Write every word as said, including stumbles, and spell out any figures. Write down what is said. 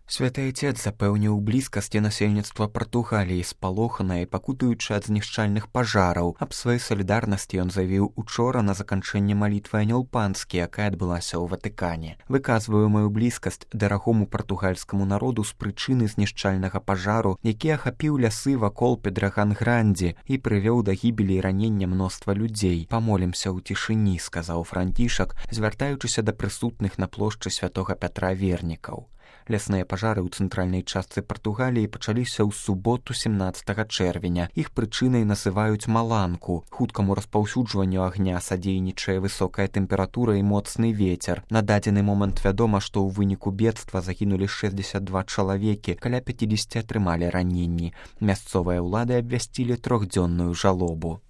Святы Отец запэўніў блізкасці насельніцтва Партугаліі, спалоханае і пакутуючы ад знішчальных пажараў. Аб сваёй салідарнасці ён заявіў учора на заканчэнне малітвы Анёл Панскі, якая адбылася ў Ватыкане. Выказваю маю блізкасць дарагому партугальскаму народу з прычыны знішчальнага пажару, які ахапіў лясы вакол Педраган-Гранді і прывёў да гібелі і ранення мноства людзей. Памолімся ў цішыні, сказаў Францішак, звяртаючыся да прысутных на плошчы святога Пятра вернікаў. Лясныя пажары ў цэнтральнай частцы Партугаліі пачаліся ў суботу семнаццатага чэрвеня. Іх прычынай называюць маланку. Хуткаму распаўсюджванню агня садзейнічае высокая тэмпература і моцны вецер. На дадзены момант вядома, што ў выніку бедства загінулі шэсцьдзесят два чалавекі, каля пяцьдзесят атрымалі раненні. Мясцовыя ўлады абвясцілі трохдзённую жалобу.